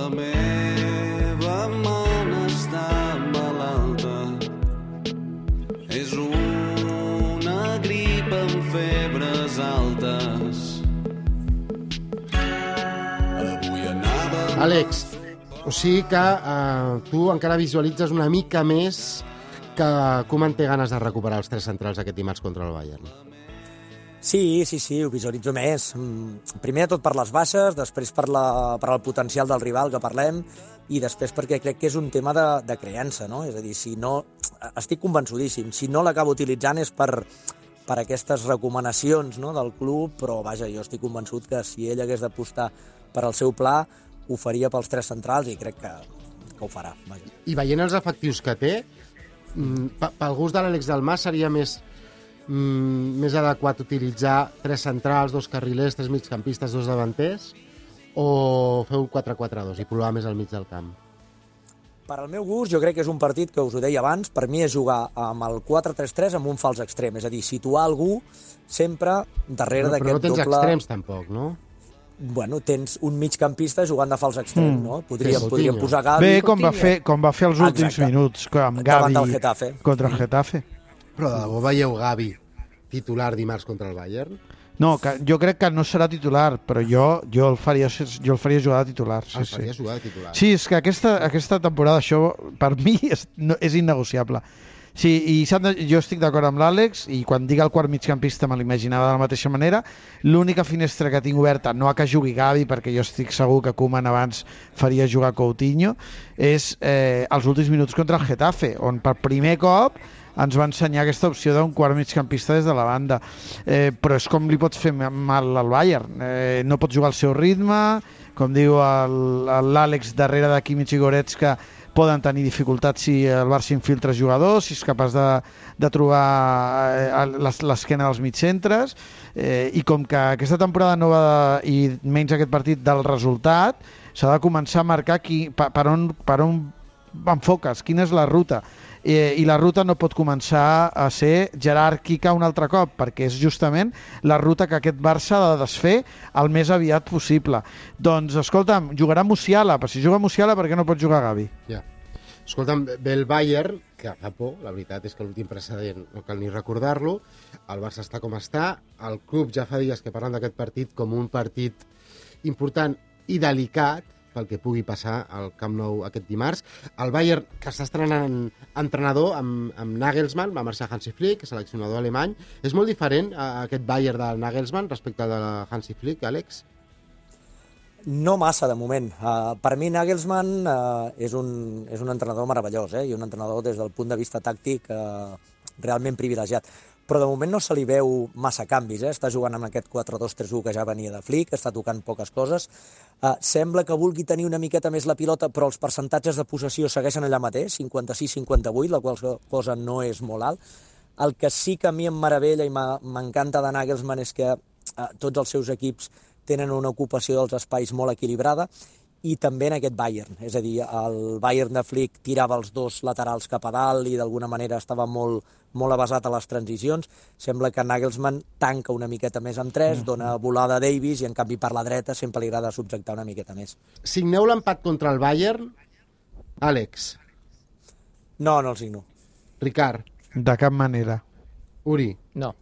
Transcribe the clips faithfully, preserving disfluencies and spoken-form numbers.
la meva mona està malalta. És una grip amb febres altes. Avui anava... Àlex, o sigui que eh, tu encara visualitzes una mica més que Koeman té ganes de recuperar els tres centrals aquest dimarts contra el Bayern. Sí, sí, sí, ho visualitzo més. Primer de tot per les baixes, després per, la, per el potencial del rival que parlem i després perquè crec que és un tema de, de creença, no? És a dir, si no... Estic convençudíssim. Si no l'acabo utilitzant és per, per aquestes recomanacions, no, del club, però vaja, jo estic convençut que si ell hagués d'apostar per al seu pla, ho faria pels tres centrals i crec que, que ho farà. Vaja. I veient els efectius que té, pel gust de l'Àlex Dalmàs seria més, mm, més adequat utilitzar tres centrals, dos carrilers, tres migcampistes, dos davanters, o fer un quatre quatre dos i provar més al mig del camp? Per al meu gust, jo crec que és un partit que us ho deia abans, per mi és jugar amb el quatre tres tres amb un fals extrem, és a dir, situar algú sempre darrere no, d'aquest doble... Però no tens doble... extrems tampoc, no? Bueno, tens un migcampista jugant de fals extrem, mm. no? Podríem, sí, podríem posar Gavi... Bé, com va, fer, com va fer els últims Exacte. minuts, amb Gavi contra el Getafe. Però de debò veieu Gavi titular dimarts contra el Bayern? No, que jo crec que no serà titular, però jo, jo, el, faria, jo el faria jugar de titular. Sí, el faria sí. jugar de titular. Sí, és que aquesta, aquesta temporada això per mi és, no, és innegociable. Sí, i de, jo estic d'acord amb l'Àlex i quan dic el quart migcampista me l'imaginava de la mateixa manera. L'única finestra que tinc oberta, no a que jugui Gavi, perquè jo estic segur que Koeman abans faria jugar Coutinho, és eh, els últims minuts contra el Getafe, on per primer cop ens va ensenyar aquesta opció d'un quart migcampista des de la banda. Eh, però és com li pots fer mal al Bayern. Eh, no pots jugar al seu ritme, com diu l'Àlex darrere de Kimmich i Goretzka, poden tenir dificultats si el Barça infiltra jugadors, si és capaç de, de trobar l'esquena dels mitjcentres, eh, i com que aquesta temporada no va, i menys aquest partit del resultat, s'ha de començar a marcar qui, per, per, on, per on enfoques, quina és la ruta. Eh, i la ruta no pot començar a ser jeràrquica un altre cop, perquè és justament la ruta que aquest Barça ha de desfer el més aviat possible. Doncs, escolta'm, jugarà Musiala, però si juga Musiala, per què no pot jugar Gavi? Ja. Escolta'm, ve el Bayern, que fa por, la veritat és que l'últim precedent no cal ni recordar-lo, el Barça està com està, el club ja fa dies que parlen d'aquest partit com un partit important i delicat, pel que pugui passar al Camp Nou aquest dimarts. El Bayern, que està estrenant entrenador amb, amb Nagelsmann, va marxar Hansi Flick, seleccionador alemany. És molt diferent a aquest Bayern de Nagelsmann respecte al de Hansi Flick, Àlex? No massa, de moment. Uh, per mi Nagelsmann uh, és, un, és un entrenador meravellós, eh? I un entrenador des del punt de vista tàctic uh, realment privilegiat. Però de moment no se li veu massa canvis, eh? Està jugant amb aquest quatre dos tres u que ja venia de Flick, està tocant poques coses. Uh, sembla que vulgui tenir una miqueta més la pilota, però els percentatges de possessió segueixen allà mateix, cinquanta-sis cinquanta vuit, la qual cosa no és molt alt. El que sí que a mi em meravella i m'encanta de Nagelsmann és que uh, tots els seus equips tenen una ocupació dels espais molt equilibrada, i també en aquest Bayern, és a dir, el Bayern de Flick tirava els dos laterals cap a dalt i d'alguna manera estava molt, molt avasat a les transicions. Sembla que Nagelsmann tanca una miqueta més amb tres, mm. dona volada a Davis i en canvi per la dreta sempre li agrada subjectar una miqueta més. Signeu l'empat contra el Bayern, Àlex? No, no el signo. Ricard? De cap manera. Uri? No.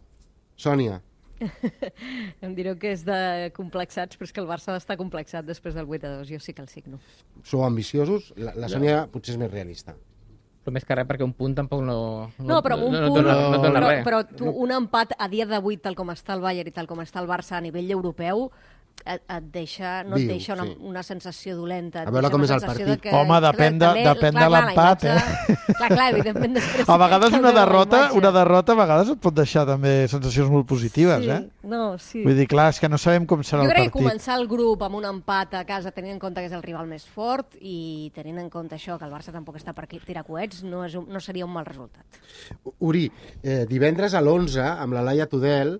Sònia? Em direu que és de complexats, però és que el Barça ha d'estar complexat després del vuit a dos. Jo sí que el signo. Sou ambiciosos? La, la Sònia no. Potser és més realista. Però més que res, perquè un punt tampoc no... No, no però un no, punt... No, no, no, no però, res. però tu, un empat a dia d'avui, tal com està el Bayern i tal com està el Barça a nivell europeu, et, et deixa, no et Viu, deixa una, sí. una sensació dolenta. A veure com és el partit. Que, Home, depèn de, també, depèn clar, de l'empat, clar, eh? Clar, clar, evidentment després... A vegades una derrota, una derrota a vegades et pot deixar també sensacions molt positives, sí, eh? No, sí. Vull dir, clar, és que no sabem com serà jo el partit. Jo crec que començar el grup amb un empat a casa tenint en compte que és el rival més fort i tenint en compte això, que el Barça tampoc està per tirar coets, no, és un, no seria un mal resultat. Uri, eh, divendres a l'onze, amb la Laia Tudel,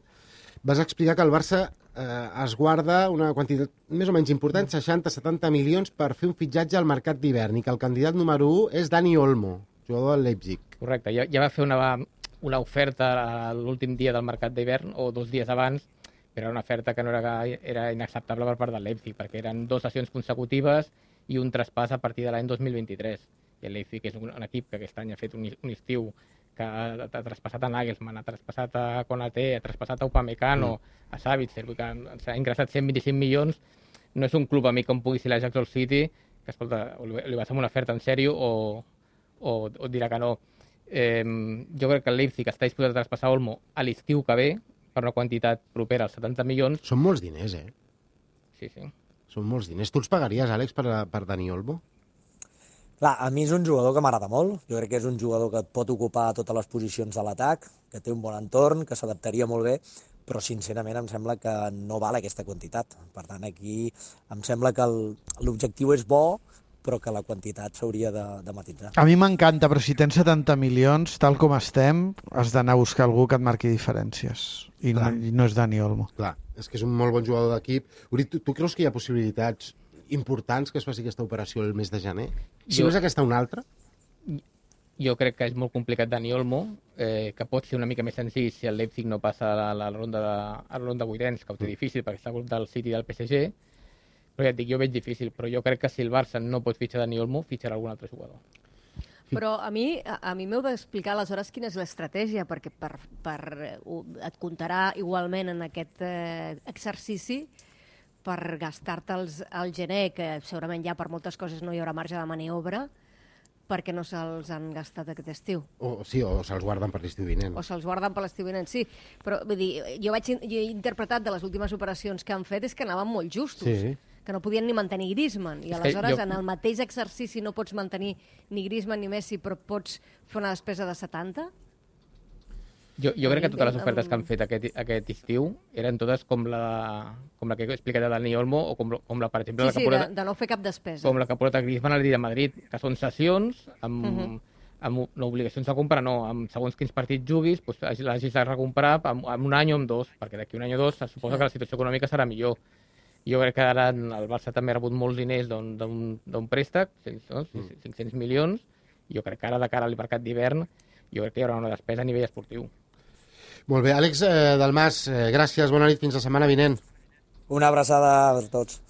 vas explicar que el Barça eh, es guarda una quantitat més o menys important, seixanta a setanta milions, per fer un fitxatge al mercat d'hivern i que el candidat número u és Dani Olmo, jugador del Leipzig. Correcte, ja, ja va fer una, una oferta l'últim dia del mercat d'hivern, o dos dies abans, però era una oferta que no era, era inacceptable per part del Leipzig, perquè eren dues sessions consecutives i un traspàs a partir de l'any dos mil vint-i-tres. I el Leipzig és un, un equip que aquest any ha fet un, un estiu que ha, ha traspassat a Nagelsmann, ha traspassat a Konaté, ha traspassat a Upamecano, mm. a Savitzer, que s'ha ingressat cent vint-i-cinc milions. No és un club amic com pugui ser la Jackson City, que escolta, li vas amb una oferta en sèrio o, o, o dirà que no. Eh, jo crec que el Leipzig està disposat a traspassar Olmo a l'estiu que ve per una quantitat propera als setanta milions. Són molts diners, eh? Sí, sí. Són molts diners. Tu els pagaries, Àlex, per, per Dani Olmo? Clar, a mi és un jugador que m'agrada molt. Jo crec que és un jugador que et pot ocupar totes les posicions de l'atac, que té un bon entorn, que s'adaptaria molt bé, però sincerament em sembla que no val aquesta quantitat. Per tant, aquí em sembla que l'objectiu és bo, però que la quantitat s'hauria de, de matisar. A mi m'encanta, però si tens setanta milions, tal com estem, has d'anar a buscar algú que et marqui diferències. I no, i no és Dani Olmo. Clar, és que és un molt bon jugador d'equip. Tu, tu creus que hi ha possibilitats importants que es faci aquesta operació el mes de gener? Si jo, no és aquesta una altra? Jo crec que és molt complicat Dani Olmo, eh, que pot ser una mica més senzill si el Leipzig no passa a la, la ronda de, a la ronda vuitens, que ho té difícil perquè està al grup del City i del P S G, però ja et dic, jo veig difícil, però jo crec que si el Barça no pot fitxar Dani Olmo, fitxarà algun altre jugador. Però a mi, a, a mi m'heu d'explicar aleshores quina és l'estratègia, perquè per, per, uh, et comptarà igualment en aquest eh, exercici per gastar-te al gener, que segurament ja per moltes coses no hi haurà marge de maniobra, perquè no se'ls han gastat aquest estiu. O, sí, o se'ls guarden per l'estiu vinent. O se'ls guarden per l'estiu vinent, sí. Però vull dir, jo, vaig, jo he interpretat de les últimes operacions que han fet és que anaven molt justos. Sí. Que no podien ni mantenir Griezmann. I És aleshores, jo... en el mateix exercici no pots mantenir ni Griezmann ni Messi, però pots fer una despesa de setanta? Jo, jo crec que totes les ofertes que han fet aquest, aquest estiu eren totes com la, com la que he explicat de Dani Olmo o com, com la, per exemple, Sí, la que sí, porta, de, de no fer cap despesa. com la que porta Griezmann al Real Madrid, que són sessions amb, uh -huh. amb no, obligacions de comprar, no, amb segons quins partits juguis, doncs, l'hagis de recomprar en, en un any o en dos, perquè d'aquí un any o dos se suposa que la situació econòmica serà millor. Jo crec que ara el Barça també ha rebut molts diners d'un préstec, no? cinc-cents milions, i jo crec que ara, de cara al mercat d'hivern, jo crec que hi haurà una despesa a nivell esportiu. Molt bé, Àlex eh, Dalmas, eh, gràcies, bona nit, fins la setmana vinent. Una abraçada a tots.